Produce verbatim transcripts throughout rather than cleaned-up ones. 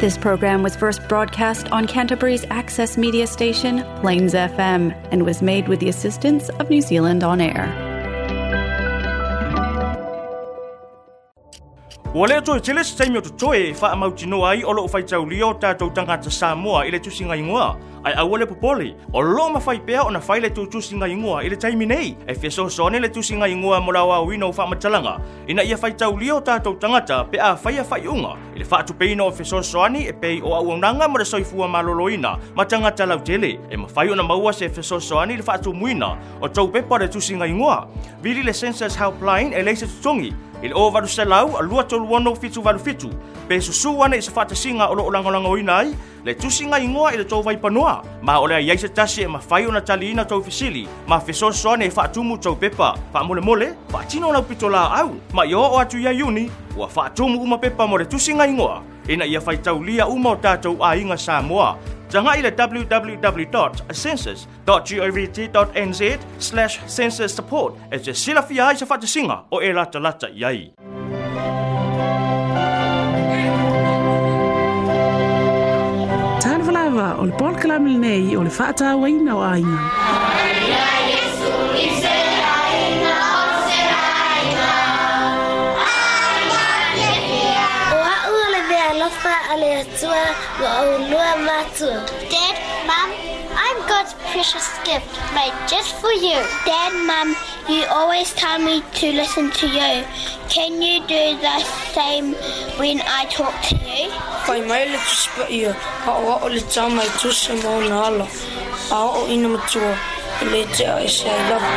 This program was first broadcast on Canterbury's access media station, Plains F M, and was made with the assistance of New Zealand On Air. Ua lea toe tele se taimi o totoe e faamautinoa ai o loo faitaulia o tatou tagata Samoa i le tusiga igoa. Ai aua le popole, o loo mafai pea ona fai le tutusiga igoa i le taimi nei, e fesoasoani le tusiga igoa mo le aoaoina o faamatalaga, ina ia faitaulia o tatou tagata pe a faia faaiuga i le faatupeina o fesoasoani e pei o auaunaga mo le soifua maloloina ma tagata lautele, e mafai ona maua se fesoasoani i le faatumuina o tou pepa o le tusiga igoa. Vili le Census Helpline e leai se totogi i le o valu selau lua tolu ono fitu valu fitu, pe susu ane i se faatasiga o loo lagolagoina ai le tusiga igoa i le tou vaipanoa, ma o le ai se tasi e mafai ona taliina tou fesili ma fesoasoani e faatumu tou pepa. Faamolemole, faatino lau pitolaau, ma ia oo atu ia Iuni, ua faatumu uma pepa mo le tusiga igoa, ina ia faitaulia uma o tatou aiga Samoa. Tagai le w w w dot census dot govt dot n z slash census support e te silafia ai se faatasiga o e latalata i ai. Talofa o le polokalame lenei o le faatauaina o aiga. Dad, Mum, I'm God's precious gift made just for you. Dad, Mum, you always tell me to listen to you. Can you do the same when I talk to you? Whai mai le tusipa ia, a o o le tāmai tusa mauna ala, a o ina matua, e le te a e se ai lava.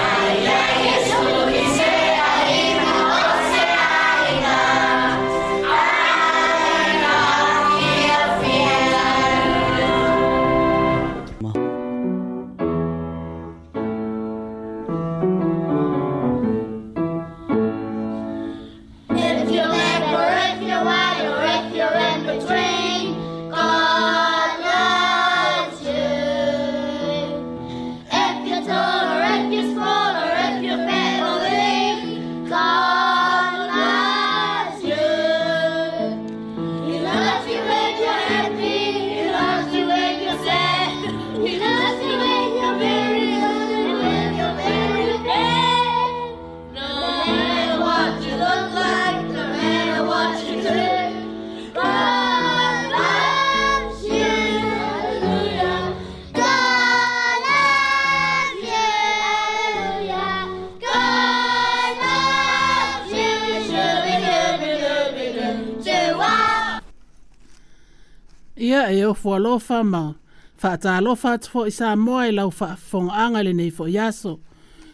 Ia e ofo alofa ma faatalofa atu fo'i Samoa i lau faafofogaaga lenei fo'i aso.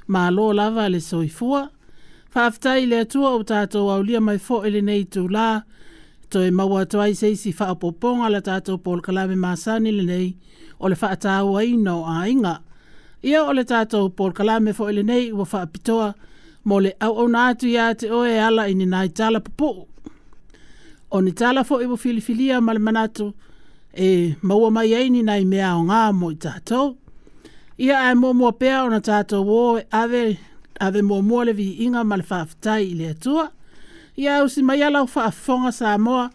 Malo lava le soifua. Faafetai i le Atua o tatou aulia mai fo'i lenei itulā, toe maua atu ai se isi faaopoopoga la tatou polokalame masani lenei o le faatauaina o aiga. Ia o le tatou polokalame fo'i lenei ua faapitoa mo le auauna atu ia te oe e ala i ni nai tala pupuu. O ni tala fo'i ua filifilia ma le manatu e maua mai ai ni nai mea o ngā mo i tātou. Ia ae muamua pea ona tātou o e ave, ave muamua le viiga ma le faafetai i le Atua. Ia ausi mai ala o faafofoga Samoa,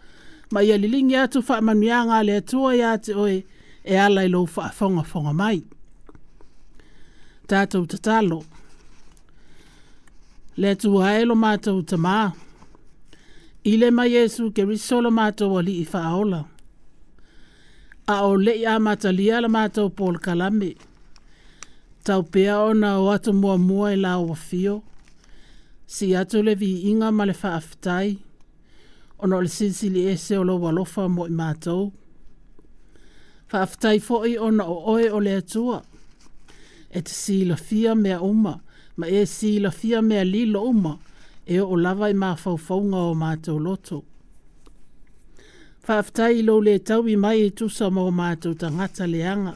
ma ia liligi atu faamanuiaga a le Atua ia te oe e ala i lou faafogafoga mai. Tātou tatalo. Le Atua e lo mātou tamā. I le mai Iesu Keriso lo mātou alii faaola. A o lei a matalia la mātou polokalame. Tau pea ona o atu muamua i la o fio. Si atu le viiga ma le faafetai. Ona o le silisili ese o lou alofa mo i mātou. Faafetai fo'i ona o oe o le Atua. E te silafia mea uma, ma e silafia mea lilo uma, e oo lava i mafaufauga o mātou loto. Faafetai i lou le taui mai e tusa ma o mātou tagata leaga.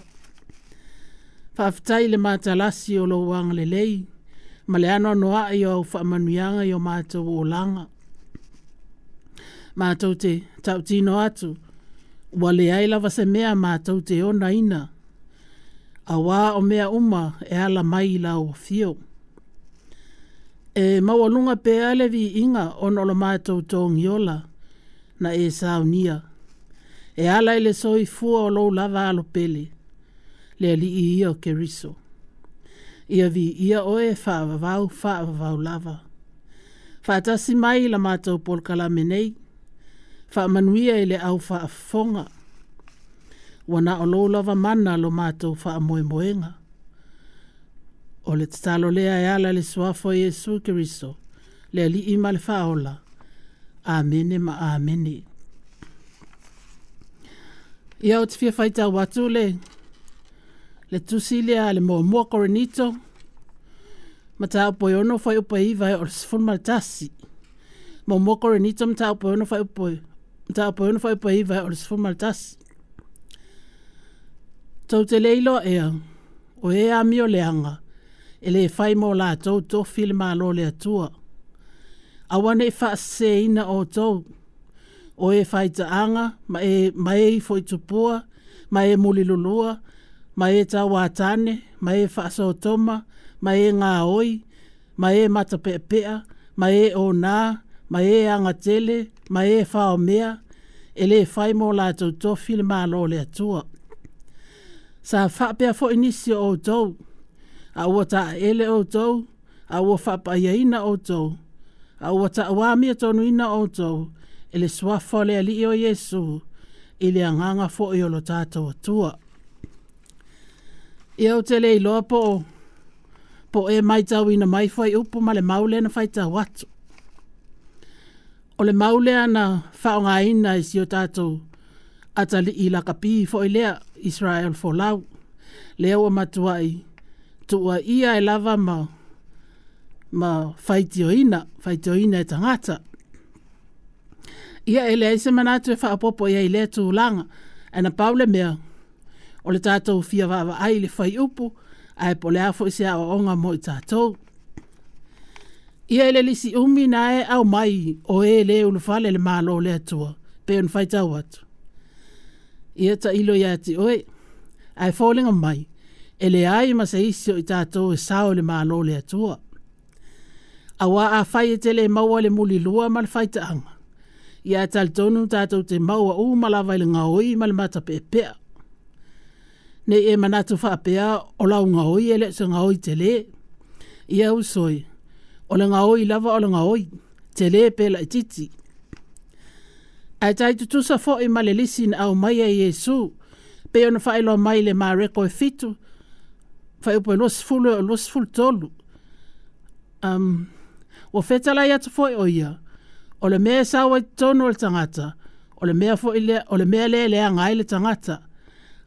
Faafetai i le matalasi o lou agalelei, ma le anoanoa'i o au faamanuiaga i o mātou olaga. Mātou te tautino atu, ua leai lava se mea mātou te onaina, auā o mea uma e ala mai i lau afio. E maualuga pea le viiga ona o lo mātou togiola na e saunia. E E ala i le soifua o lou lava alo pele, le Alii ia o Keriso. Ia viia oe faavavau faavavau lava. Faatasi mai la matou polokalame nei, faamanuia i le au faafofoga. Ua na o lou lava mana lo matou faamoemoega. O le tatalo lea e ala i le suafa o Iesu Keriso, le Alii ma le Faaola. Amene ma amene. Ia ou te fia faitau atu le le tusi lea le muamua Korinito, mataupu e ono fuaiupu e iva e oo i le sefulu ma le tasi. Muamua Korinito mataupu e ono fuaiupu e mataupu e ono fuaiupu e iva e oo i le sefulu ma le tasi. Tou te le iloa ea, o e amio leaga, e lē fai mo latou tofi le Malo o le Atua. Aua ne i faaseseina outou, o e faitaaga ma e, ma e ifo i tupua, ma e mulilulua, ma e tauatane, ma e faasotoma, ma e gaoi, ma e matapeapea, ma e onā, ma e agatele, ma e faomea, e lē fai mo latou tofi le Malo o le Atua. Sa faapea foi nisi o outou, a ua taeele outou, a ua faapaiaina outou, a ua tauamiotonu outou e le suafa o le Alii o Iesu i le agaga foi o lo tatou Atua. Ia ou te le iloa po o po o e matauina mai fuaiupu ma le mau lea na faitau atu. O le mau lea na faaaogaina i si o tatou atalii lakapi foi lea Israel Folau, lea ua matuai tuuaia ai lava ma ma faitioina, faitioina e tagata. Ia e leai se manatu e faaopoopo i ai i lea tulaga, ae na pau le mea, o le tatou fia vaavaai i le fuaiupu, ae po o le a foi se aoaoga mo i tatou. Ia i le lisi umi na e aumai o e lē ulufale i le Malo o le Atua, pei ona faitau atu. Ia tailo ia te oe, ae foliga mai, e leai ma se isi o i tatou e sao i le Malo o le Atua. Auā afai e te le maua i le mulilua ma le faitaaga, ia ae talitonu tatou te maua uma lava i le gaoi ma le matapeapea. Nei e manatu faapea o lau gaoi e le o se gaoi telē. Ia uso e, o le gaoi lava o le gaoi, telē pe laitiiti. Ae tai tutusa foi ma le lisi na aumaia e Iesu, pei ona faailoa mai i le Mareko e fitu, fuaiupu e luasefulu e oo i le luasefulu tolu. Um, ua fetalai atu foi o ia, o le mea e sau ai totonu o le tagata, o le mea foi lea, o le mea lea e leaga ai le tagata.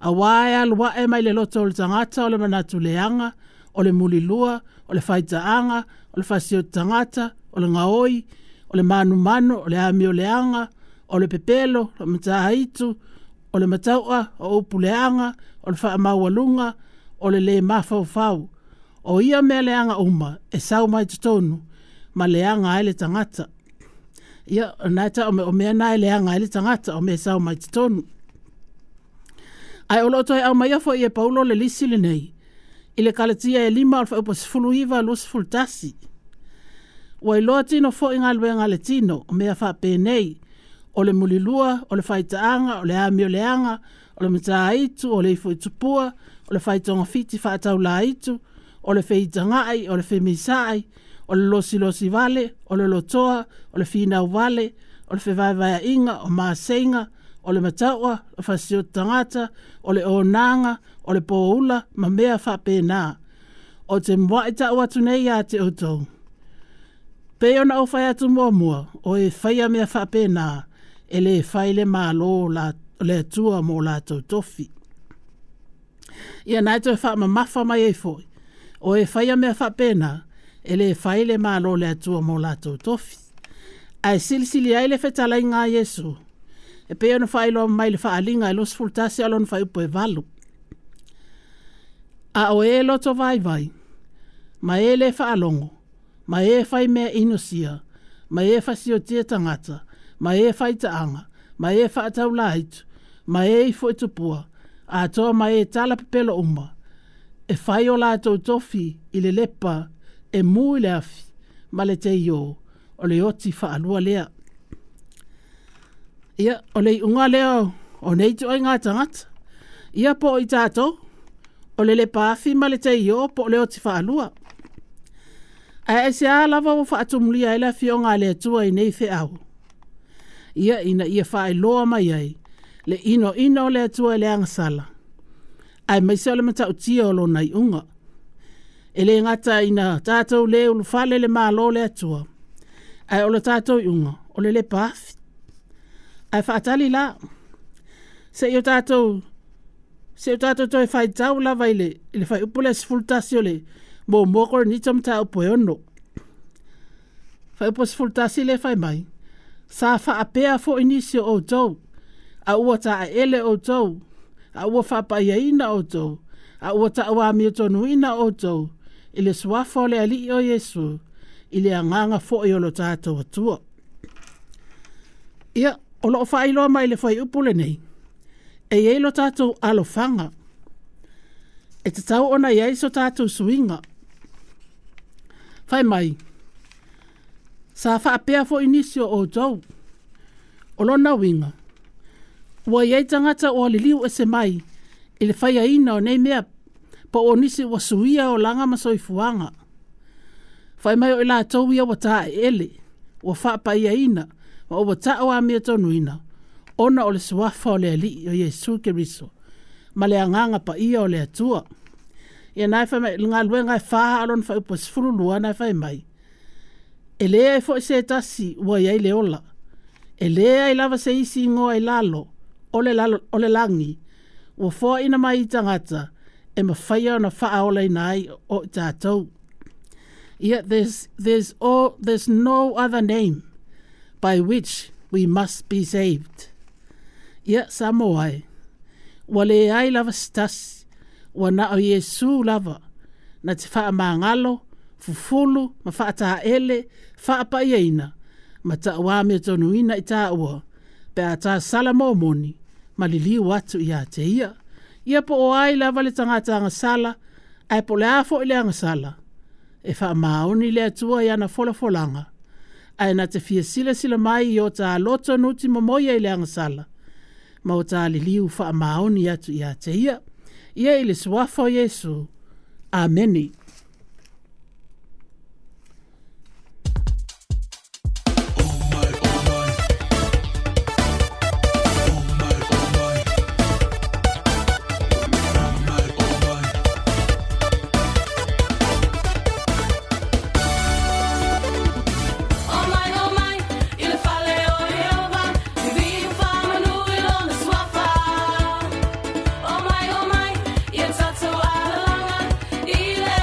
Auā e alu ae mai le loto o le tagata o le manatu leaga, o le mulilua, o le faitaaga, o le fasioti tagata, o le gaoi, o le manumanu, o le amioleaga, o le pepelo, o le mataitu, o le mataua, o upu leaga, o le faamaualuga, o le lē mafaufau. O ia mea leaga uma e sau mai totonu ma leaga ai le tagata. Ia, o lena e tau o mea na e leaga ai le tagata, o mea e sau mai totonu. Ae o lo o toe aumaia foi e Paulo le lisi lenei, i le Kalatia e lima o le fuaiupu sefulu iva luasefulu tasi. Ua iloa tino foi galuega a le tino, o mea faapenei, o le mulilua, o le faitaaga, o le amioleaga, o le mataitu, o le ifo i tupua, o le faitogafiti faataulaitu, o le feitagai, o le femisaai, o le losilosi vale, o le lotoa, o le finau vale, o le fevaevaeaiga, o maseiga, o le mataua, o le fasioti tagata, o le onaga, o le poula, ma mea faapena. Ou te muai tau atu nei ia te outou. Pei ona ou fai atu muamua, o e faia mea faapena, e lē fai le Malo o le Atua mo latou tofi. Ia na e toe faamamafa mai ai foi, o e faia mea faapena, e lē fai le Malo o le Atua mo latou tofi. Ae silisili ai le fetalaiga a Iesu, e pei ona faailoa mai le faaaliga e luasefulu tasi a o lona fuaiupu e valu. A o e loto vaivai, ma e lē faalogo, ma e fai mea inosia, ma e fasiotia tagata, ma e faitaaga, ma e faataulaitu, ma e ifo i tupua, atoa ma e tala pepelo uma, e fai o latou tofi i le lepa e mu i le afi ma le teiō, o le oti faalua lea. Ia, o le iuga lea O nei ituaiga tagata. Ia po o i tatou, o le lepaafi ma le teioo po o le oti faalua. Ae aisea lava ua faatumulia ai le afioga a le Atua i nei feau? Ia ina ia faailoa mai ai le inoino o le Atua i le agasala, aemaise o le matautia o lona iuga. E le gata ina tatou le ulufale le Malo o le Atua, ae o le tatou iuga o le lepaafi. Ae faatali la, seia o tatou seia o tatou toe faitau lava i le, i le fuaiupu lea sefulu tasi o le muamua Korinito mataupu e ono. Fuaiupu sefulu tasi lea fai mai, sa faapea foi nisi o outou, a ua taeele outou, a ua faapaiaina outou, a ua tauamiotonuina outou i le suafa o le Alii o Iesu, i le agaga foi o lo tatou Atua. Ia, o loo faailoa mai le fuaiupu lenei, e i ai lo tatou alofaga, e tatau ona i ai so tatou suiga. Fai mai, sa faapea foi nisi o outou. O lona uiga, ua i ai tagata ua liliu ese mai i le faiaina o nei mea, po o nisi ua suia olaga ma soifuaga. Fai mai o i latou ia ua taeele, ua faapaiaina, ma ua tauamiatonuina, ona o le suafa o le Alii o Iesu Keriso, ma le agaga paia o le Atua. Ia na e fai mai, le galuega e fa a lona fuaiupu sefulu lua na e fai mai, e leai foi se tasi ua i ai le ola, e leai lava se isi igoa i lalo o le, lalo, o le lagi, ua foaina mai i tagata, e mafaia ona faaolaina ai o i tatou. Ia, there's, there's, all, there's no other name by which we must be saved. Ia, Samoa e, ua leai lava se tasi, ua na o Iesu lava, na te faamagalo, fufulu, ma faataele, faapaiaina, ma tauamiatonuina i taua, pe a ta sala momoni, ma liliu atu ia te ia. Ia po o ai lava le tagata agasala, ae po o le a foi le agasala, e faamaoni le Atua i ana folafolaga, ae na te fia silasila mai i o ta loto nuti momoia i le agasala, ma o ta liliu faamaoni atu ia te ia. Ia i le suafa o Iesu. Ameni. O mai, o mai, i le fale o Ieova, viviu faamanu i lona suafa. O mai, o mai, ia tatou alalaga, i le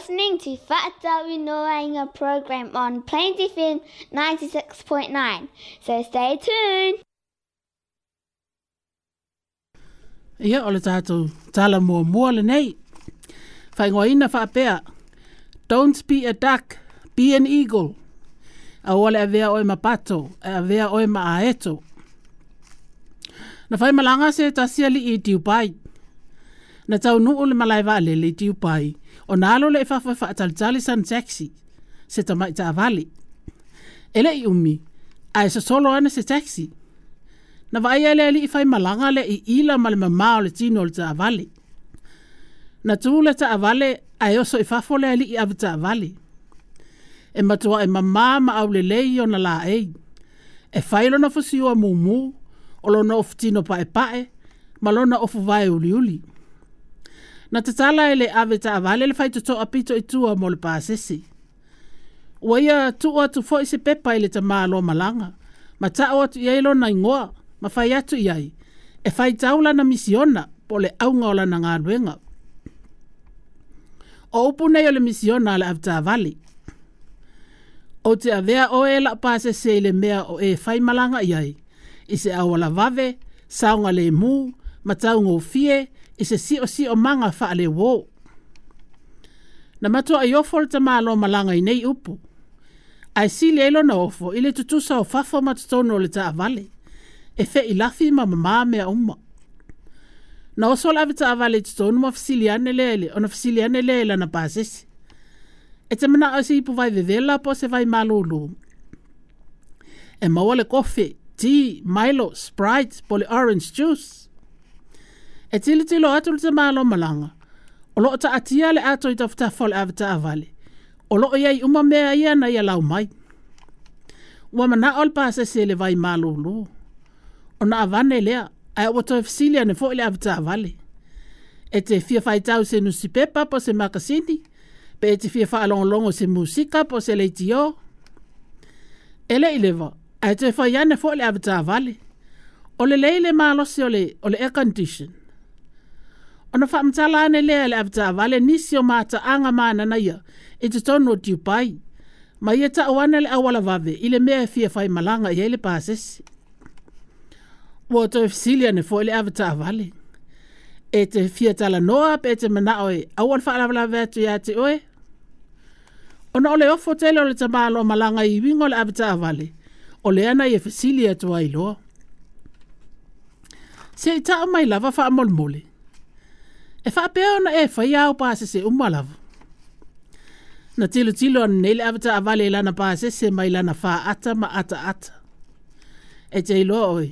listening to Fa'atauinoaina program on Plains F M ninety-six point nine. So stay tuned. Ia o le tātou tala mua mua le nei. Whaingoaina whaapea. Don't be a duck, be an eagle. Aua le avea oe mapato, e avea oe maaeto. Na whai malanga se tasia li i Dubai. Na tau nuu le malai vaalele i Dubai. O nalo le e fafo e faatalitali san taxi. Se tamai taavale. Ele i umi, a e sosolo ane se taxi. Na vaai ele ali i whai malanga le i ila ma le mamao le tino le taavale. Na tū le taavale a e oso i fafo le ali i awe taavale. E matua e mamā ma au le lei o na la ei. E whai lona fusiua mumu, o lona ofu tino pae pae, ma lona ofu vae uli uli. Na te tala ele awe taavale le whai toto apito i tua mo le pāsese. Ua ia tuu atu foi se pepa i le tamā loa malanga, ma tao atu i ai lona ingoa, ma whai atu i ai, e whai taula na misiona po le aunga o lana ngāluenga. O upu nei o le misiona le avetaavale. O te avea oe la pāsese i le mea o e whai malanga i ai, i se awala vave, saunga le mū, ma taungo fie, i se sio sio manga wha le wō. Na matua i ofo le tamalo malanga i nei upu. Ai sili elo na ofo i le tutusa o fafo matutono o le taavale. E fe i lafi ma mamā mea uma. Na oso la avetaavale i tutonu ma fasiliane le, ona fasiliane le lana pāsese. E te mana o se ipu vai vevela po se vai malulu. E maua le kofe, tea, Milo, Sprite, po le orange juice. E tilo tilo atu le te malo malanga. O loo ta atia le ato i tafutafa o le avetaavale. O loo iai uma mea ia na ia lau mai. Ua mana o le pāsese le vai malulu. O na avane lea, ae ua toe fasili ane foi le avetaavale. E te fia whaitau se nusipepa po se makasini, pe e te fia whaalongolongo se musika po se leitio. E le i lewa, ae toe whai ane foi le avetaavale. O le leile malosi o le, o le air condition. Ona whaamatala ane lea le avetaavale nisi o maataanga maanana ia i te tonu o Dubai. Ma ia tau ane le awala vave i le mea e fia whai malanga i le pāsese. Ua toe fasili ane foi le avetaavale. E te fia talanoa pe e te manao e aua le faalavelave atu ia te oe. Ona o le ofo tele o le tamalo malanga i wingo le avetaavale. O le ana i e fasili atu ai loa. Se i tau mai lava whaamolemole. E whaapea ona e whai au pāsese uma lava. Na tilo tilo ane nei le avetaavale i lana pāsese mai lana whaata ma ata ata. E te iloa oe.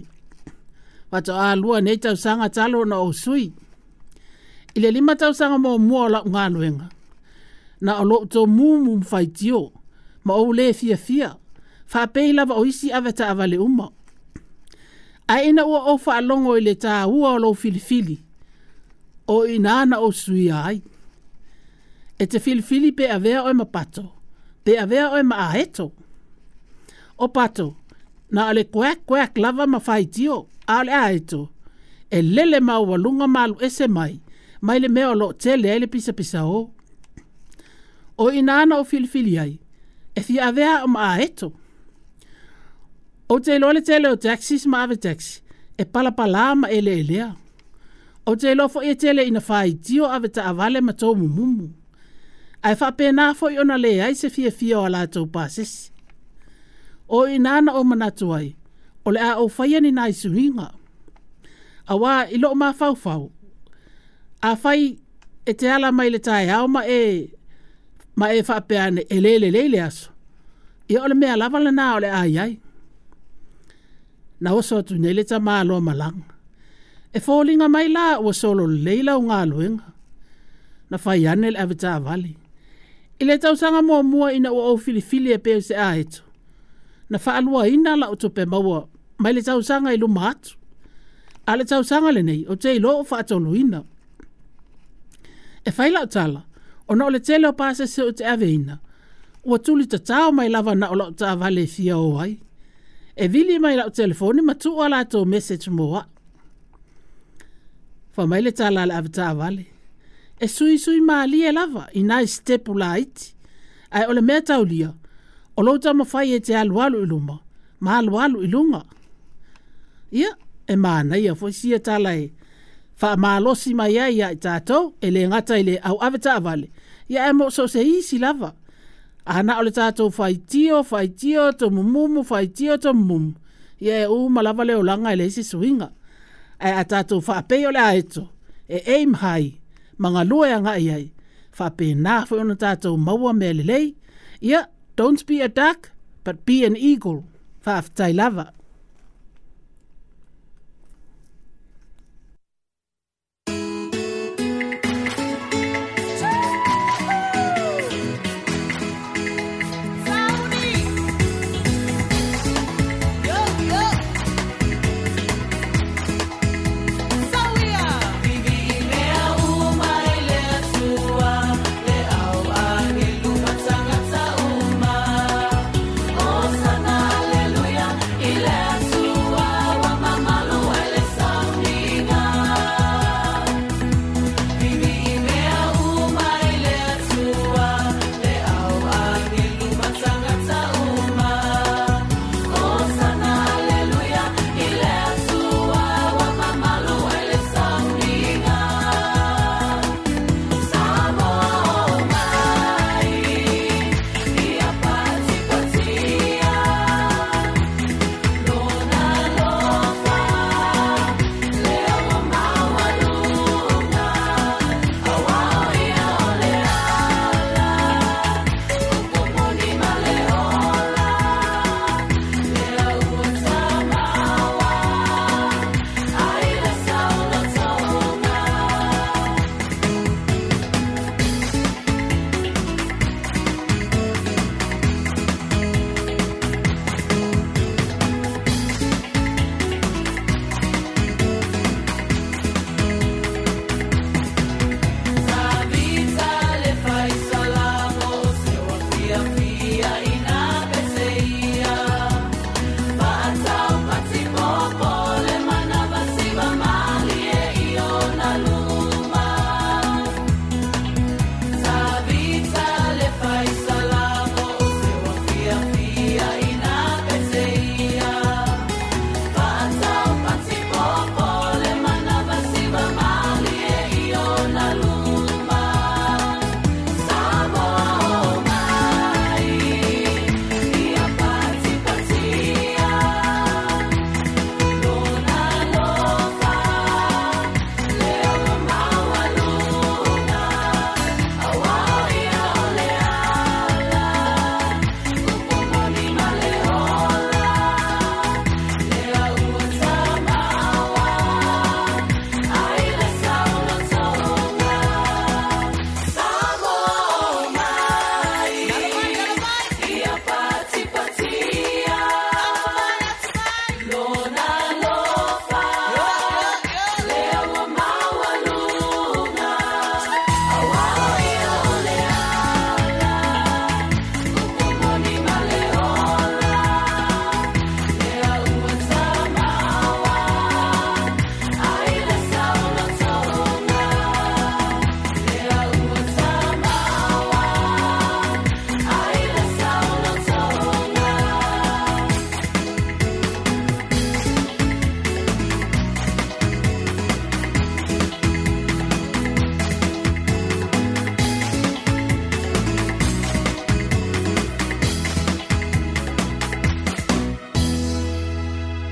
Wato a lua nei tausanga talo na o sui. I le lima tausanga mo mua o lau ngāluenga. Na o loo tō mumu mwhaitio, ma o le fia fia, whaapei lava o isi avetaavale uma. Ai ina ua o whaalongo i le tā ua o lou filifili, o ina ana o suia ai. E te filifili pe avea oe mapato, pe avea oe maaeto. O pato, na o le kuak kuak lava ma whaitio, a o le aeto, e lele maua lunga malu ese mai, mai le mea o loo tele ai le pisa pisa o. O ina ana o filifili ai, e fia avea o maaeto. O te iloa le tele o taxis ma ave taxi, e palapala ma ele elea. O te iloa foi e tele ina whaitio ave taavale ma tō mumumu. Ai whaapena foi ona le ai se fia fia o a lātou pāsese. O ina ana o manatu ai, o le a o whaia ni nai suinga. Awa i loo mawhauwhau. A whai e te ala mai le tae au ma e, ma e whaapeane e lele lele aso. Ia o le mea lava le nā o le ai ai. Na oso atu nei le tamā loa malanga. E fōlinga mai la ua solo leila o ngā luenga. Na whai ane le avetaavale. I le tausanga mua mua ina ua o filifili e peo se aeto. Na whaalua ina la o tupe maua mai le tausanga i luma atu. A le tausanga le nei o te ilo o whaatoluina. E whai lau tala, ona o le tele o pāsese o te aveina. Ua tuli tatao mai lava na o lau taavale e fia o ai. E vili mai lau telefoni ma tua lātou message moa. Wha mai le tala le avetaavale. E suisui malie lava i nai stepu laiti. Ae o le mea taulia, o lou taumafai e te alualu i luma, ma alualu i luga. Ia, e manaia foi sia tala e faamalosi mai ai ia i tatou, e le gata i le auave taavale, ia ae mo so o se isi lava. A na o le tatou faitio, faitio, tomumumu, faitio, tomumumu, ia e uma lava le olaga e leai se suiga. Ae a tatou faapei o le aeto, e aim high, ma galue agai ai, faapena foi ona tatou maua mea lelei. Ia, don't be a duck, but be an eagle. Faafetai lava.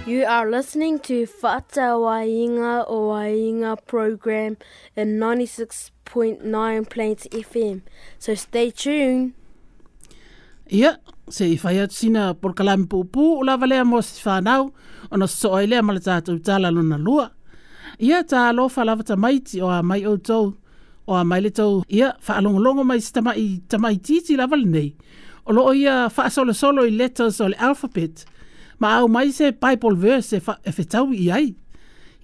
You are listening to Fa'atauaiga o Aiga program in ninety-six point nine Plains F M. So stay tuned. Ia, se i whai atu sina polokalame puupuu o lava lea mo se whanau, ona sosoa ai lea ma le tātou tala lona lua. Ia, tā alofa lava tamaiti o a mai outou, o a mai le tou, ia, whaalongolongo mai si tamai, tamai titi lava lenei. O loo ia whaasolosolo i letters o le alphabet, ma au mai se Bible verse e, wha, e whetaui i ai.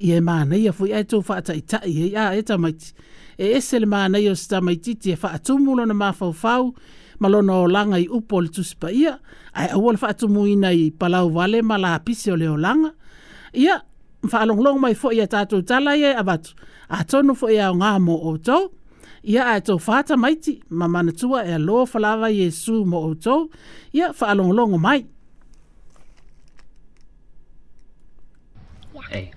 I e māneia fui ai tō whaataitai e a e tamaiti. E ese le māneia o se tamaititi e whaatumu lona mawhauwhau, ma lona olanga i upo o le tusipaia, ai aua le whaatumuina i palau vale ma la pisi o le olanga. Ia, whaalonglong mai fo ia tātou tala ia avatu. A tonu fo ia o ngā mō o tau. Ia ae tou fātamaiti ma manatua e alofa lava Iesu mo outou. Ia faalogologo mai. Yeah. A.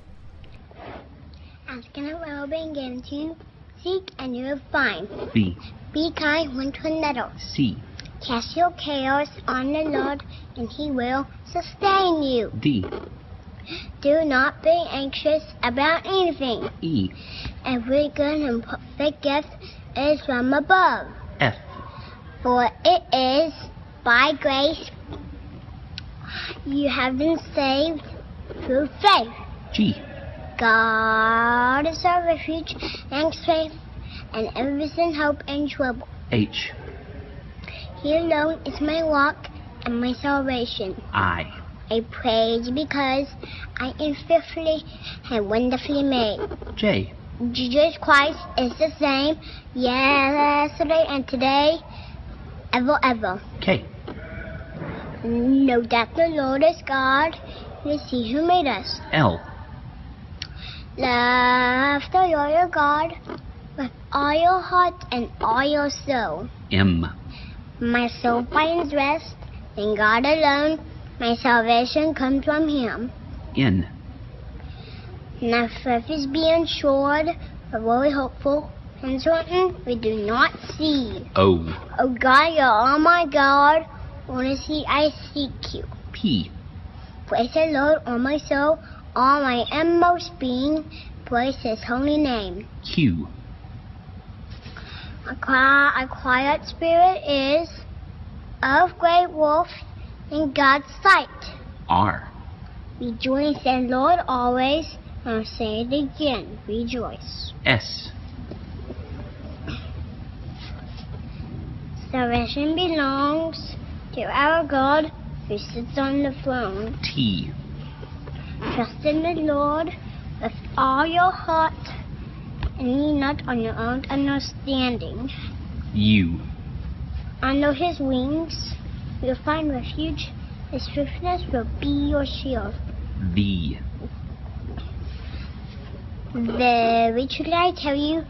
Ask and it will be given to you. Seek and you will find. B. Be kind one to another. C. Cast your cares on the Lord, and he will sustain you. D. Do not be anxious about anything. E. Every good and perfect gift is from above. F. For it is by grace you have been saved through faith. G. God is our refuge and strength, and ever-present help in trouble. H. He alone is my rock and my salvation. I. I praise because I am fearfully and wonderfully made. J. Jesus Christ is the same yesterday and today, ever, ever. K. Know that the Lord is God, it is He who made us. L. Love the Lord your God with all your heart and all your soul. M. My soul finds rest in God alone. My salvation comes from Him. N. My faith is being assured, but very hopeful, and certain we do not see. O. O God, you are my God. Honestly, I seek you. P. Praise the Lord, all my soul, all my inmost being. Praise His holy name. Q. A quiet, a quiet spirit is of great worth in God's sight. R. Rejoice in the Lord always. I'll say it again. Rejoice. S. Salvation belongs to our God who sits on the throne. T. Trust in the Lord with all your heart and lean not on your own understanding. U. Under His wings you'll find refuge. His faithfulness will be your shield. V. Very truly I tell you,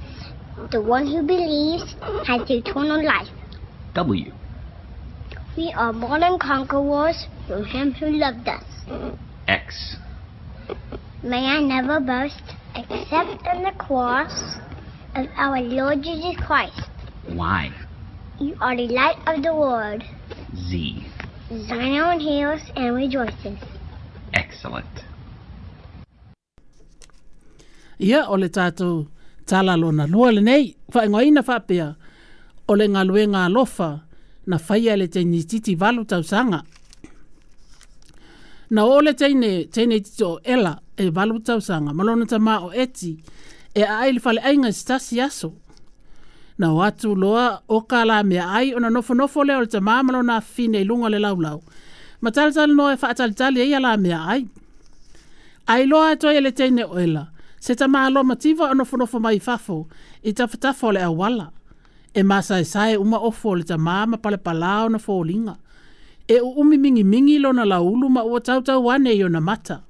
the one who believes has eternal life. W. We are more than conquerors through Him who loved us. X. May I never boast except in the cross of our Lord Jesus Christ. Y. You are the light of the world. Z. Zion hears and rejoices. Excellent. Ia o le tātou tala lona lua lenei, whaingoina whapea, o le ngaluenga alofa, na whaia le teini titi valu tausaga. Na o le teine, teine titi o Ela e valu tausaga, ma lona tamā o Eti, e aai le faleaiga i se tasi aso. Na o atu loa o ka la mea ai, ona nofonofo lea o le tamā ma lona afafine i luga o le laulau. Ma talitali noa e faatalitali ai ia la mea ai. Ai loa atu ai e le teine o Ela, se tamā loa mativa o nofonofo mai fafo, i tafatafa o le auala. E masaesae uma ofo o le tamā ma palepalā ona foliga. E uumi mingimingi lona laulu ma ua tautau ane i ona mata.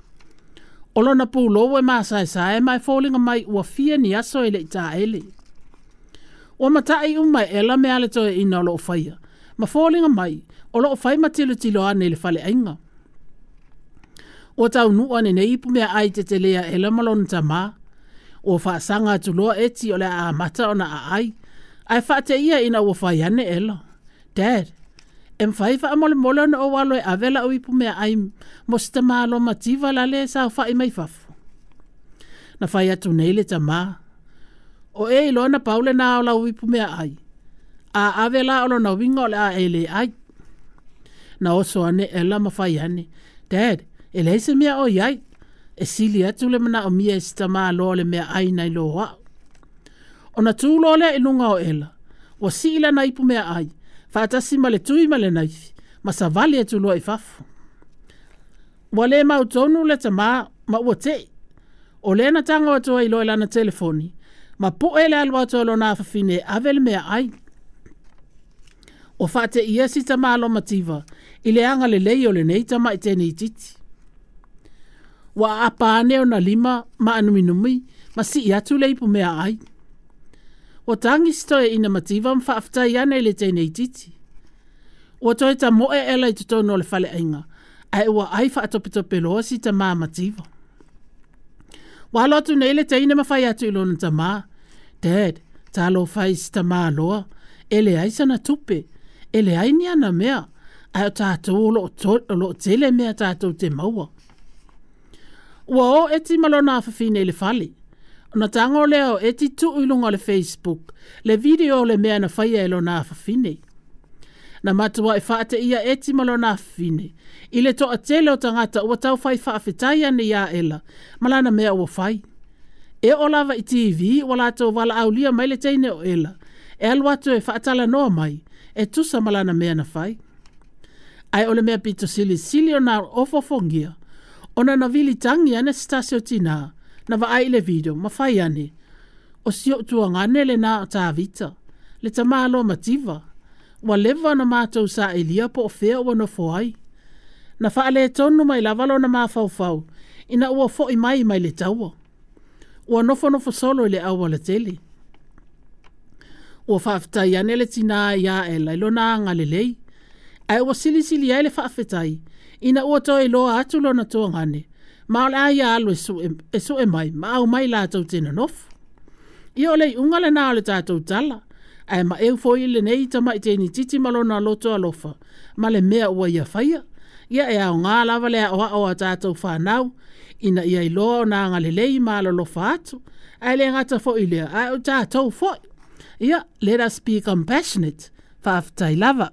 O lona pulou e masaesae ma e foliga mai ua fia ni aso e le i taele. Ua matai uma e Ela me ale toe ina o loo whaia. Ma foliga mai o loo whai matilotilo ane i le faleaiga. Ua taunuu ane nei ipu mea ai te telea Ela ma lona tamā. Ua faasaga atu loa Eti o le aamata ona aai. Ae faateia ina ua fai ane Ela. Dad, e mawhai whaamolemole ona o alo e ave lau ipu mea ai mo se tamā loa mativa lale e saofai mai fafo. Na fai atu nei le tamā. O e iloa na pau lenā o lau ipu mea ai. A ave la o lona uiga o le a e le ai. Na oso ane Ela ma fai ane. Dad, e leai se mea o iai. E sili atu le manaomia e se tamā loa o le mea ai nai lo a'u. Ona tū loa lea i luga o Ela. Ua sii lana ipu mea ai. Faatasi ma le tui ma le naifi. Ma savali atu loa i fafo. Ua le mautonu le tamā ma ua tei. O lea na tago atu ai loa i lana telefoni. Ma pu'e le alu atu o lona afafine e ave le mea ai. O faateia si tamā loa mativa i le agalelei o lenei tama'i tenei titi. Ua aapa ane ona lima ma anuminumi ma sii atu le ipu mea ai. Ua tagi si toeaina mativa ma faafetai ane i le teine itiiti. Ua toe tamoe Ela i totonu o le faleaiga, ae ua ai faatopetopeloa si tamā mativa. Ua alo atu nei le teine ma fai atu i lona tamā, Dad, talofa e i si tamā loa, e leai sana tupe, e leai ni ana mea, ae o tatou o loo, o loo tele mea tatou te maua. Ua o Eti ma lona afafine i le fale. Ona tago lea o Eti tuu i luga o le Facebook le video o le mea na faia e lona afafine. Na matuai faateia Eti ma lona afafine i le toatele o tagata ua taufai faafetai ane iā Ela ma lana mea ua fai. E oo lava i T V ua latou valaaulia mai le teine o Ela e alu atu e faatalanoa mai e tusa ma lana mea na fai. Ae o le mea pito silisili ona ofofogia, ona na vili tagi ane se tasi o tinā, na vaai i le video ma fai ane, o si ou tuagane lenā o Tavita, le tamāloa mativa, ua leva ona matou saelia po o fea ua nofo ai. Na faaletonu mai lava lona mafaufau, ina ua fo'i mai mai le taua. Ua nofonofo solo i le aualatele. Ua faafetai ane le tinā iā Ela i lona agalelei, ae ua silisili ai le faafetai, ina ua toe iloa atu lona tuagane, ma o le a ia alu e sue, e sue mai, ma aumai latou te nonofo. Ia o le iuga lenā o le tatou tala, ae maeu foi lenei tama'i teine itiiti ma lona loto alofa, ma le mea ua ia faia. Ia e aogā lava le aoao a tatou whanau, ina ia iloa ona agalelei ma alolofa atu, ae le gata foi lea, ae o tatou foi. Ia, let us be compassionate. Faafetai lava.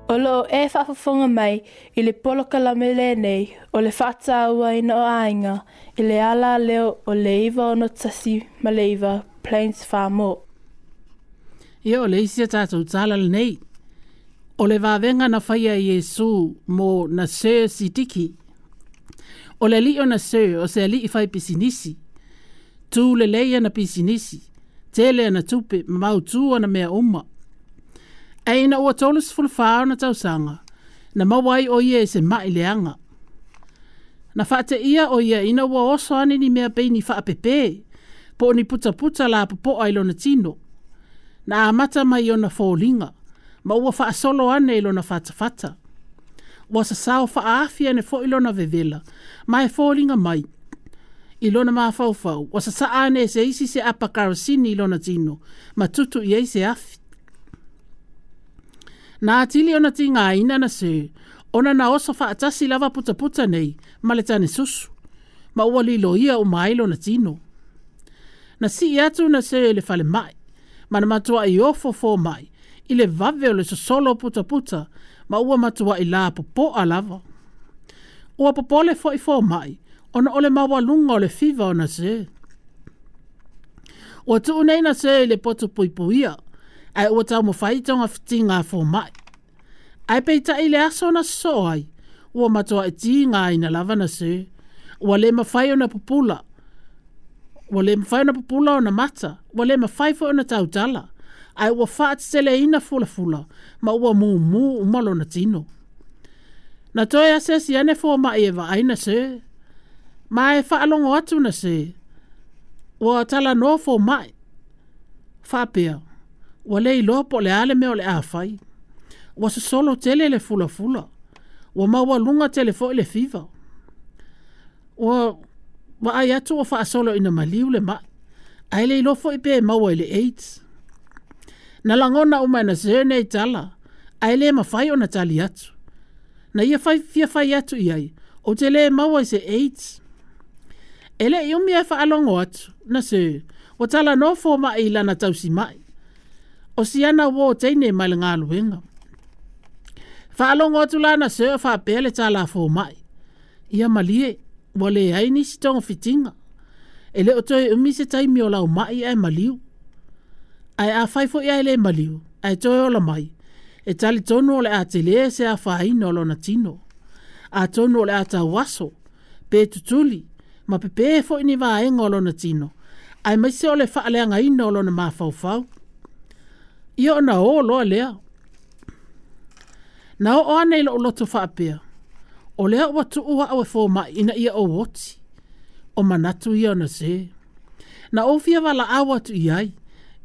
O loo e faafofoga mai i le polokalame lenei o le faatauaina o aiga i le ala leo o le iva ono tasi ma le iva Plains Farmore. Ia o le isi a tatou tala lenei. O le vavega na faia i Iesu mo na Sir Sidiki. O le alii o na Sir o se alii fai pisinisi. Tu lelei ana pisinisi. Tele ana tupe ma mautū ana mea uma. Ae ina ua tolu sefulu fa ona tausaga, na maua ai o ia i se ma'i leaga. Na faateia o ia ina ua oso ane ni mea pei ni faapepē, po o ni putaputa lapopoa i lona tino. Na amata mai ona foliga, ma ua faasolo ane i lona fatafata. Ua sasao faaafi ane foi lona vevela, ma e foliga mai. I lona mafaufau, ua sasaa ane e se isi se apa karosini i lona tino, ma tutu i ai se afi. Na atili ona tigaina na Sir, ona na oso faatasi lava putaputa nei, ma le tane susu, ma ua liloia uma ai lona tino. Na sii atu na se i le falemai, ma na matuai ofo fomai, i le vave o le sosolo putaputa, ma ua matuai la popoa lava. Ua popole foi fomai, ona o le maualuga o le fiva o na se. Ua tuu nei na se i le poto puipuia, ae ua taumafai togafitiga a fomai. Ae peitai le aso na sosoo ai, ua matuai tigaina lava na se. Ua le mafai ona pupula, ua le mafai ona pupula ona mata, ua le mafai foi ona tautala, ae ua faateteleina fulafula, ma ua mumu uma lona tino. Na toe asiasi ane fomai e vaai na se, ma e faalogo atu na se, ua talanoa fomai, faapea, ua le iloa po o le a le mea o le a fai. Ua sosolo tele le fulafula, ua maualuga tele foi le fiva. Ua vaai atu ua faasolo ina maliu le mai, ae le iloa foi pe maua i le AIDS. Na lagona uma e na se nei tala, ae le mafai ona tali atu. Na ia fai, fia fai atu i ai, o te le maua i se AIDS. E le i umi e faalogo atu, na se, ua talanoa fomai i lana tausimai. O siana uō teine mai le galuega. Faalogo atu la na se o faapea le tala a fomai. Ia malie, ua leai nisi togafitiga. E le o toe umi se taimi o lau mai ae maliu. Ae afai foi ae le maliu, ae toe ola mai, e talitonu o le a telē se afaina o lona tino. Atonu o le a tauaso, pe tutuli, ma pepē foi ni vaega o lona tino, aemaise o le faaleagaina o lona mafaufau. Ia ona o loa lea. Na oo ane i lou loto faapea, o lea ua tuu au e fomai ina ia ou oti. O manatu ia ona se. Na ou fia valaau atu i ai,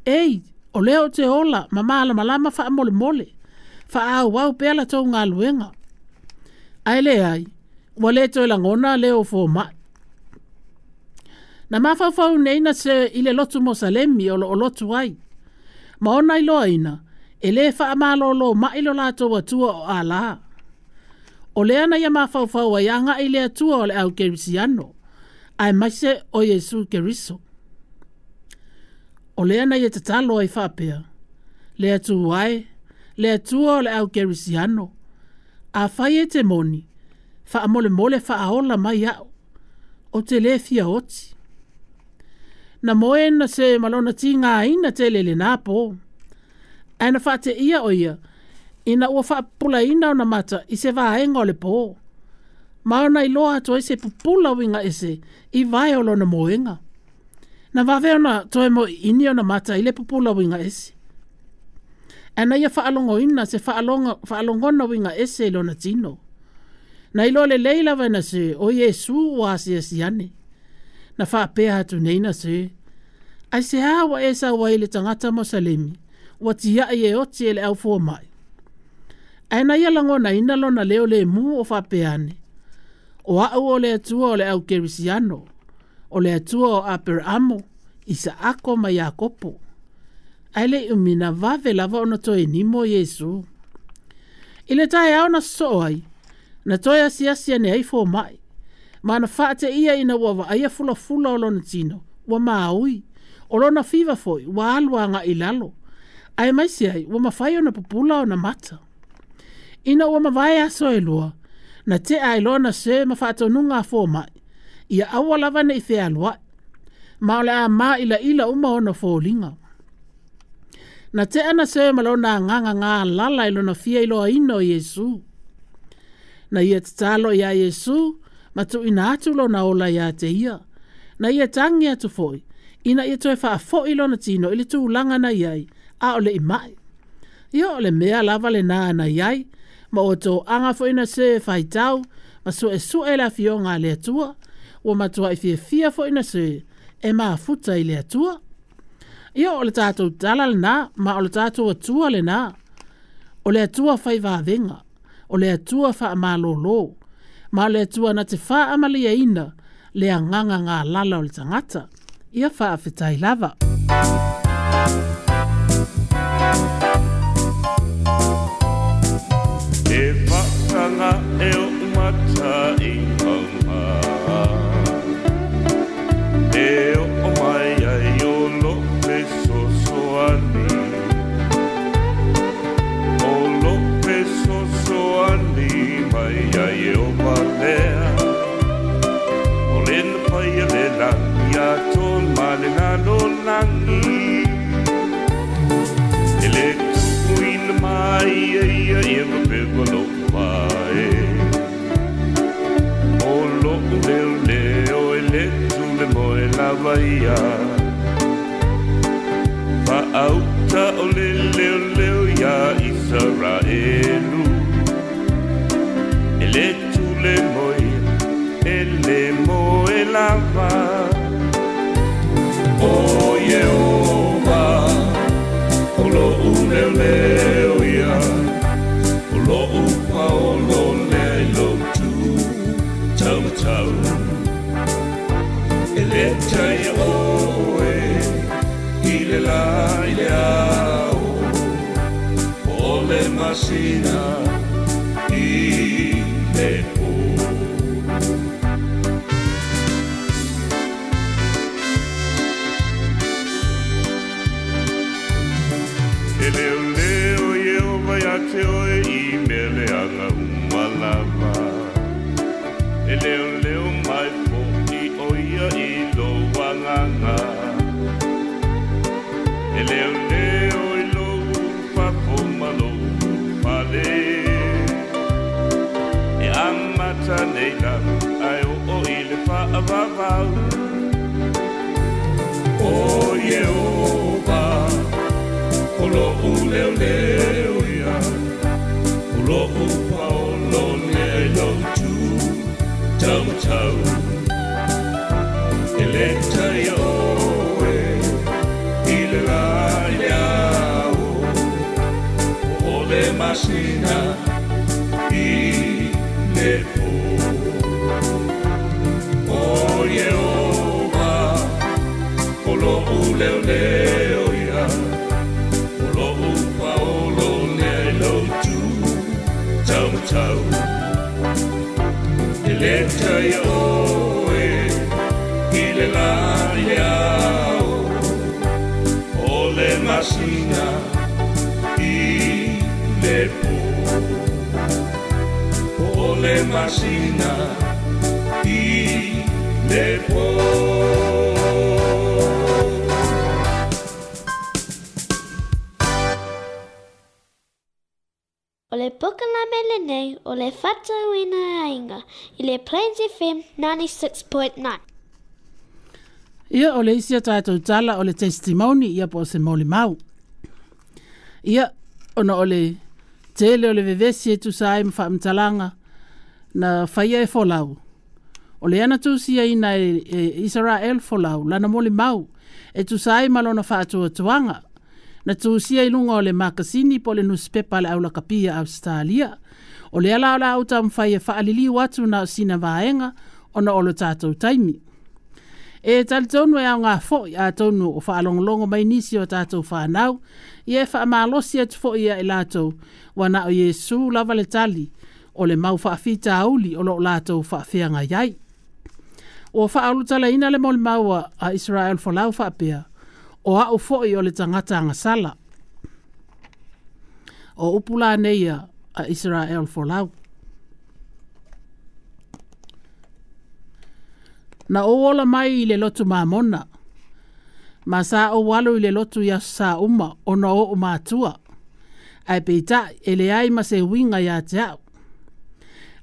ei, o lea ou te ola ma malamalama faamolemole, faaauau pea la tou galuega. Ae leai, ua le toe lagona leo o fomai. Na mafaufau nei na se i le lotu Mosalemi o loo lotu ai. Ma ona iloaina, e lē faamalōlō mai lo latou Atua o Alā. O lea na ia mafaufau ai agai i le Atua o le au Kerisiano, aemaise o Iesu Keriso. O lea na ia tatalo ai faapea, le Atua e, le Atua o le au Kerisiano, afai e te moni, faamolemole faaola mai au, ou te lē fia oti. Na moe na se ma lona tigaina tele lenā pō. Ae na faateia o ia, ina ua faapupulaina ona mata i se vaega o le pō. Ma ona iloa atu ai se pupula uiga ese i vae o lona moega. Na vave ona toe moiini ona mata i le pupula uiga ese. Ae na ia faalogoina se faaloga, faalogona uiga ese i lona tino. Na iloa lelei lava e na se o Iesu ua asiasi ane. Na faapea atu nei na se, aisehā ua e sau ai i le tagata Mosalemi, ua tiai e oti e le au fomai. Ae na ia lagonaina lona leo lemu o faapea ane, o au o le Atua o le au Kerisiano, o le Atua o Aperaamo, Isaako ma Iakopo. Ae le i umi na vave lava ona toe nimo Iesu. I le taeao na sosoo ai, na toe asiasi ane ai fomai, ma na faateia ina ua vaaia fulafula o lona tino, ua maui, o lona fiva foi, ua alu agai i lalo, aemaise ai ua mafai ona pupula ona mata. Ina ua mavae aso e lua, na tea ai loa na se ma faatonuga a fomai, ia aua lava nei fealuai, ma o le a māilaila uma ona foliga. Na tea na se ma lona agaga galala i lona fia iloaina o Iesu. Na ia tatalo iā Iesu, ma tuuina atu lona ola iā te ia. Na ia tagi atu foi, ina ia toe faafoi lona tino i le tulaga na i ai, a o le i mai. Ia o le mea lava lenā na i ai, ma ua toaga foi na se e faitau, ma suesue le afioga a le Atua, ua matuai fiafia foi na se e mafuta i le Atua. Ia o le tatou tala lenā, ma o le tatou Atua lenā. O le Atua faivavega, o le Atua faamalōlō, ma o le Atua na te faamalieina le agaga galala o le tagata. Ia faafetai lava. E whakanga e o mata i maunga, e o mai ai Ieova lea O le na paia le langi a tōn ma le lalo langi E le tukuina mai e ia e mapewa lo pae O lo leo leo e le tule moe lava ia Fa'auta o le leo leo ia Israelu E le tule moe e le moe lava O Ieova o lo'u leo leo ia O lo'u paolo lea i lou tu taumatau E le taia oe i le la i le ao O le masina i le pō E leo leo Ieova ia te oe i meleaga uma lava E leo leo mai fo'i o ia i lou agaga E leo leo i lou ulufafo ma lou ulufale E amata nei lava ae oo i le fa'avavau O Ieova o lo'u leo leo ia O lo'u paolo lea i lou tu taumatau E le taia oe i le la i le ao O le masina i le pō O Ieova o lo'u leo leo ia O lo'u paolo lea i lou tu taumatau E le taia oe i le la i le ao O le masina i le pō O le masina i le pō O le pokalame lenei o le Fa'atauaina Aiga i le Plains F M ninety-six point nine. Ia o le isi a tātou tala o le testimony ia po o se molimau. Ia ona o le tele o le vevesi e tusa ai ma fa'amatalaga na faia e folau. O le ana tusiaina e, e Israel folau lana molimau e tusa ai ma lona fa'atuatuaga na tusia i luga o le makasini po o le nuspepa a le aulakapia Australia. O lea la o le a ou taumafai e fa'aliliu atu na o sina vaega ona o lo tātou taimi. E talitonu e aogā fo'i atonu o fa'alogologo mai nisi o tātou whanau, ia e fa'amalosi atu fo'i ia i latou, ua na o Iesu lava le tali, o le mau fa'afitauli o lo'o latou fa'afeagai ai. Ua fa'aulutalaina le molimau a Israel folau fa'apea, o a'u fo'i o le tagata agasala. O upu lanei a Israel folau. Na ou ola mai i le lotu mamona, ma sa ou alo i le lotu i aso sa uma ona o o'u matua, ae peita'i e leai ma se uiga iā te a'u.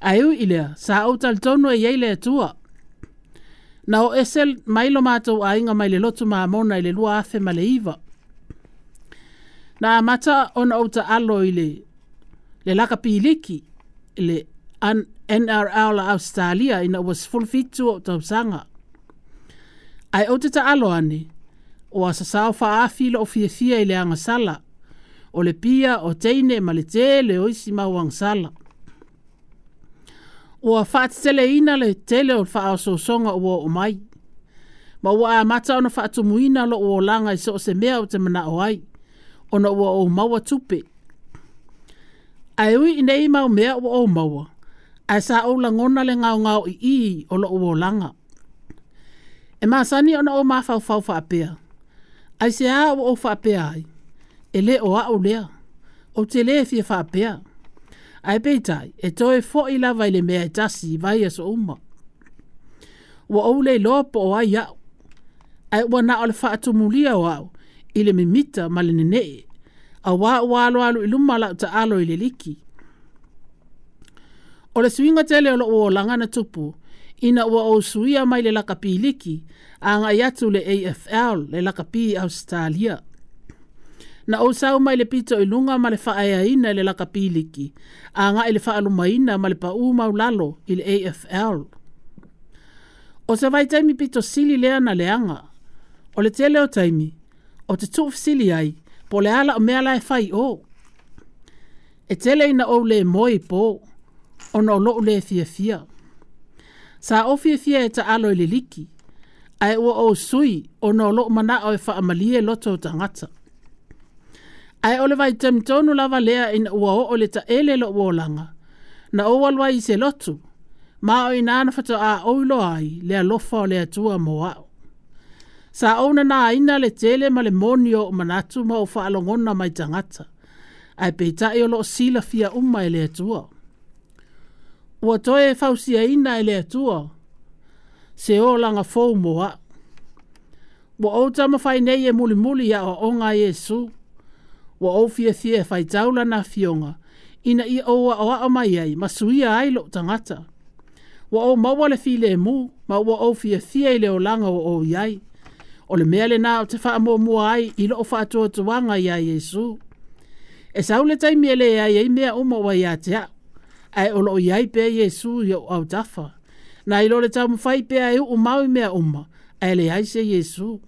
Ae ui i lea, sa ou talitonu e iai le Atua. Na o ese mai lo matou aiga mai le lotu mamona i le lua afe ma le iva. Na amata ona ou ta'alo i le, le lakapiliki, le N R L a Australia ina ua sefulufitu o tausaga. Ae ou te ta'alo ane, o asasao fa'aafi lo'o fiafia i le agasala, o le pia o teine ma le tele o isi mau agasala. Ua fa'ateteleina le tele o le fa'aososoga ua o'o mai, ma ua amata ona fa'atumuina lo'u olaga i so o se mea o te mana'o ai, ona ua ou maua tupe. Ae ui i nei mau mea ua ou maua, ae sa ou lagona le gaogao i'i o lo'u olaga. E masani ona ou mafaufau fa'apea, ai se ā ua ou fa'apea ai, e lē o a'u lea, ou te lē fia fa'apea. Ae peitai, e toe fo'i lava i le mea e tasi i vai aso uma. Ua ou le iloa po o ai a'u, ae ua na o le faatumulia o a'u i le mimita ma le nene'e, auā ua alualu i luma la'u taalo i le liki. O le suiga tele o lo'u olaga na tupu, ina ua ou suia mai le lakapi liki aga'i atu le A F L, le lakapi Ausetalia. Na ou sau mai le pito i luga ma le faaeaina i le lakapi liki, aga'i le faalumaina ma le pa'ū maulalo i le A F L. O se vaitaimi pito sili lea na leaga. O le tele o taimi, o te tuufesili ai, po o le a la'u mea la e fai o. E tele ina ou lē moe i pō, ona o lo'u lē fiafia. Sa ou fiafia e taalo i le liki, ae ua ou sui ona o lo'u mana'o e faamalie loto o tagata. Ae o le vaitaimi tonu lava lea ina ua oo le taele lo'u olaga, na ou alu ai i se lotu, ma o inā na fato'a ou iloa ai le alofa o le Atua mo a'u. Sa ou nanāina le tele ma le moni o o'u manatu ma ou faalogona mai tagata, ae peita'i o lo'o silafia uma e le Atua. Ua toe fausiaina e le Atua se olaga fou mo a'u. Ua ou taumafai nei e mulimuli i aoaoga a Iesu. Ua ou fiafia e faitau lana afioga, ina ia ou aoao mai ai ma suia ai lo'u tagata. Ua ou maua le filemu ma ua ou fiafia i le olaga ua ou i ai. O le mea lenā ou te faamuamua ai i lo'u faatuatuaga iā Iesu. E sau le taimi e leai ai mea uma ua ia te a'u, ae o lo'o i ai pea Iesu i o'u autafa. Na i lo le taumafai pea e u'u mau i mea uma, ae leai se Iesu.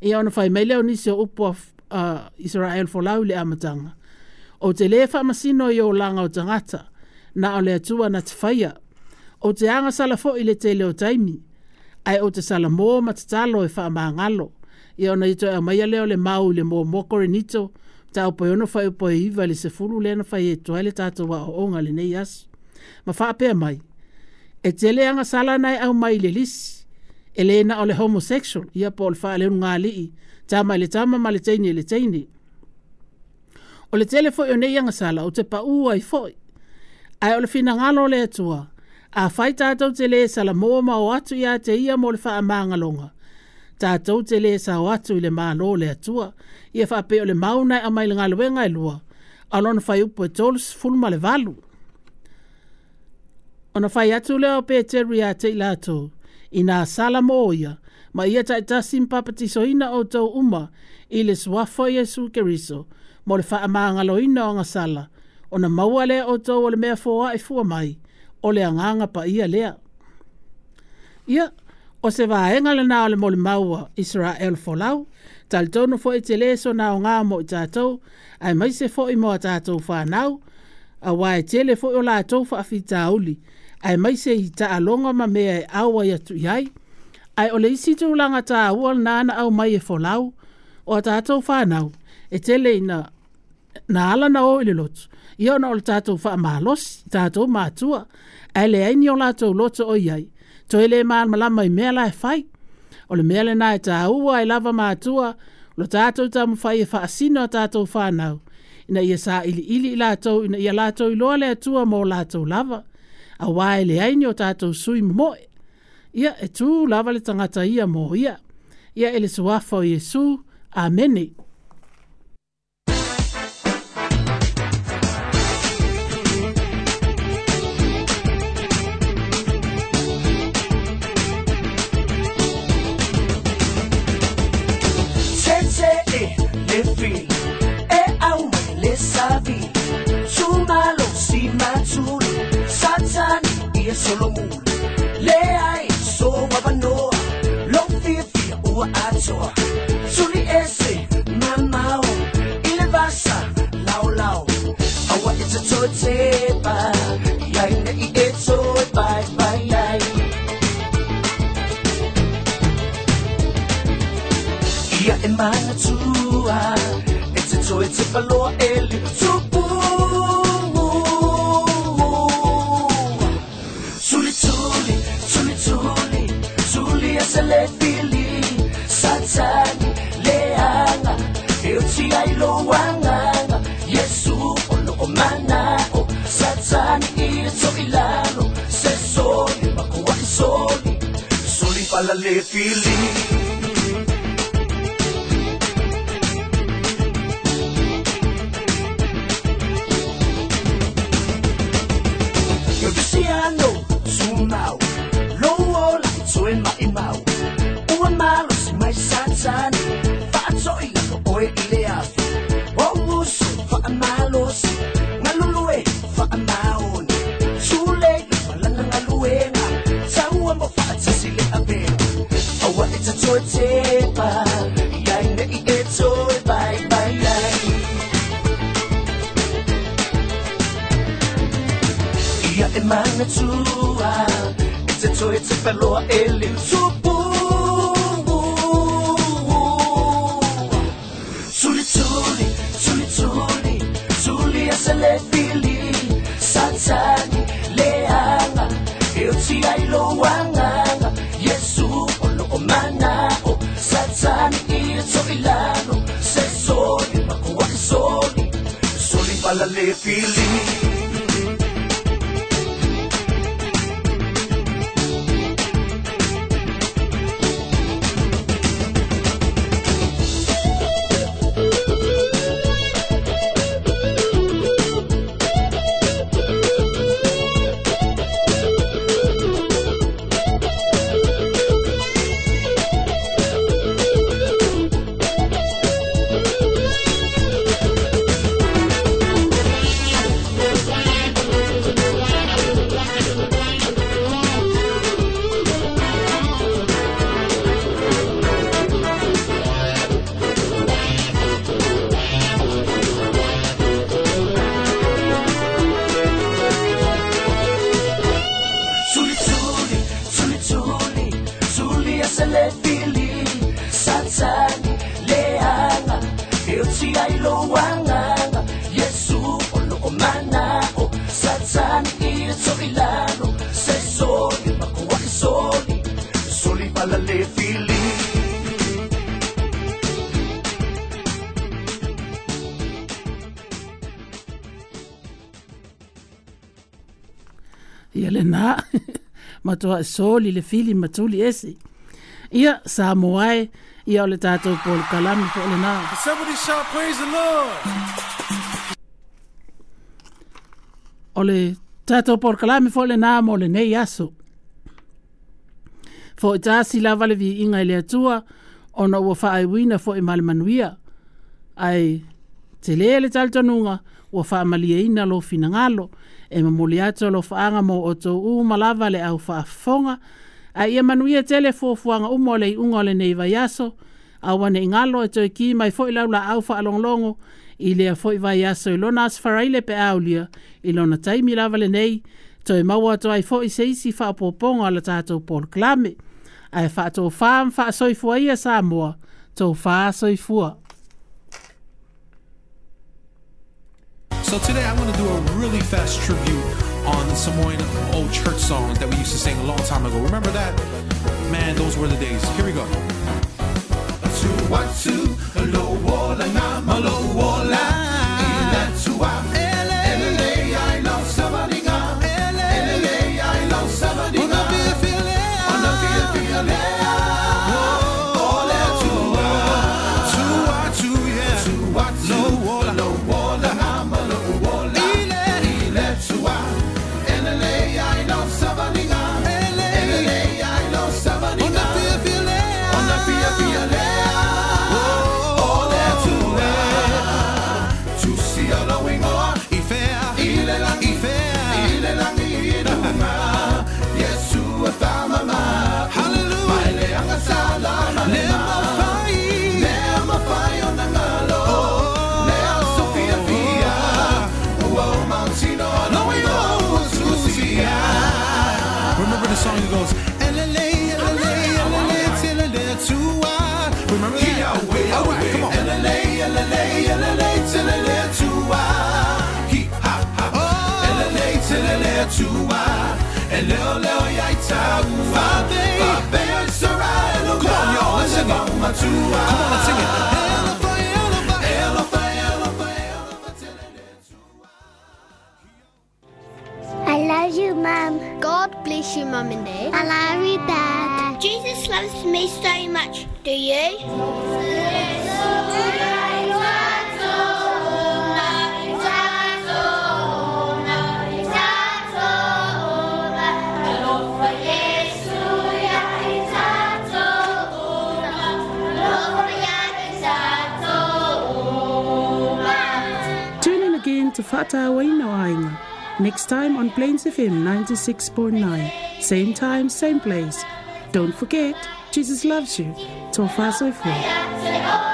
Ia ona fai mai lea o nisi o upu a uh, Israel folau i le amataga. Ou te lē faamasino i olaga o tagata, na o le Atua na te faia. Ou te agasala fo'i i le tele o taimi, ae ou te salamō ma tatalo e faamagalo. Ia ona ia toe aumaia lea o le mau i le muamua Korinito, mataupu e ono fuaiupu e iva i le sefulu lea na fai atu ai le tatou aoaoga i lenei aso. Ma faapea mai, e tele agasala na e aumai i le lisi, e lē na o le homosexual, ia po o le faaleulugalii, tama i le tama ma le teine i le teine. O le tele fo'i o nei agasala ou te pa'ū ai fo'i. Ae o le finagalo o le Atua, afai tatou te lē salamō ma o atu iā te ia mo le faamagaloga, tatou te lē sao atu i le Mālō o le Atua. Ia faapea o le mau na e aumai i le galuega e lua, a o lona fuaiupu e tolu sefulu ma le valu. Ona fai atu lea o Peteru iā te i latou, inā salamō ia, ma ia ta'itasi ma papatisoina outou uma i le suafa o Iesu Keriso, mo le faamagaloina o agasala, ona maua lea outou o le mea foa'i fua mai, o le agaga paia lea. Ia, o se vaega lenā o le molimau a Israel folau, talitonu fo'i te lē sona aogā mo i tatou, aemaise fo'i mo a tatou fanau, auā e tele fo'i o latou faafitauli, aemaise i taaloga ma mea e auai atu i ai. Ae o le isi tulaga tāua lenā na aumai e folau, o a tatou fanau, e tele ina na ala na o i le lotu, ia ona o le tatou faamalosi, tatou matua, ae leai ni o latou loto o i ai, toe lē malamalama i mea la e fai. O le mea lenā e tāua ai lava matua, o lo tatou taumafai e faasino a tatou fanau, ina ia sailiili i latou, ina ia latou iloa le Atua mo latou lava, auā e leai ni o tatou sui momo'e. Ia, e tū lava le tagata ia mo ia. Ia e le suafa o Iesu. Amene. Tete e le fili, e au mai le savi, tumalo si matulu, satani ia solomulu, le ai so wabanoa, lo fia ua atoa, tuli ese mamao, ile vasa lao lao, awa e te toe tepa, iai nei e toe pai pai ai. Ia e manatua, e te toe tepa loa e le tupu. Tuli tuli, tuli tuli, tuli ese le fili, satani leanga, e uti ai lo wanganga, Yesu o lo o manao, pala le fili. Luciano, sumau, lo ola toe mai mau. Ua malo si mai satani, faatoi lalo oe i le afi. O uso faamalosi, ngalulue faamaoni. Sule i falana ngaluenga, taua mo faatasi le avea. Aua e tatoe tepa, iai nei e toe bai bai ai. Ia e manatua, e te toe te paloa e le tupu. Tuli tuli, tuli tuli, tuli a se le fili. Satani, leanga, e o ti ai lo wanganga. Yesu o lo o manao, Satani i e to ilalo. Se soli, makua e soli, soli pala le fili. Ia lena matoa soli le fili matuli ese. Ia Samoa e, ia o le tātou polokalame po lena. Somebody shout praise the Lord. O le tātou polokalame fo lena mo lenei aso. Fo i tasi lava le viiga i le Atua, ona ua faaiuina fo'i ma le manuia. Ae tele le talitonuga ua faamalieina lo finagalo, e momoli atu alofaaga mo outou uma lava le au faafofoga. Ae ia manuia tele fuafuaga uma o le iuga o lenei vaiaso, aua nei galo e toe ki mai fo'i lau laau faalogologo i lea fo'i vaiaso i lona aso faraile pe aulia i lona taimi lava lenei, toe maua atu ai fo'i se isi faaopoopoga o le tatou polokalame. Ae faatofā ma faasoifua ia Samoa, tofā soifua. So today I'm going to do a really fast tribute on the Samoan old church songs that we used to sing a long time ago. Remember that? Man, those were the days. Here we go. Remember the song that goes, remember that? All right, come on. Come on, y'all, let's sing it. Come on, let's sing it. I love you, Mum. God bless you, Mum and Dad. I love you, Dad. Jesus loves me so much. Do you? Tune in again to Fa'atauaina o Aiga next time on Plains F M ninety-six point nine. Same time, same place. Don't forget, Jesus loves you. Tofa soifua.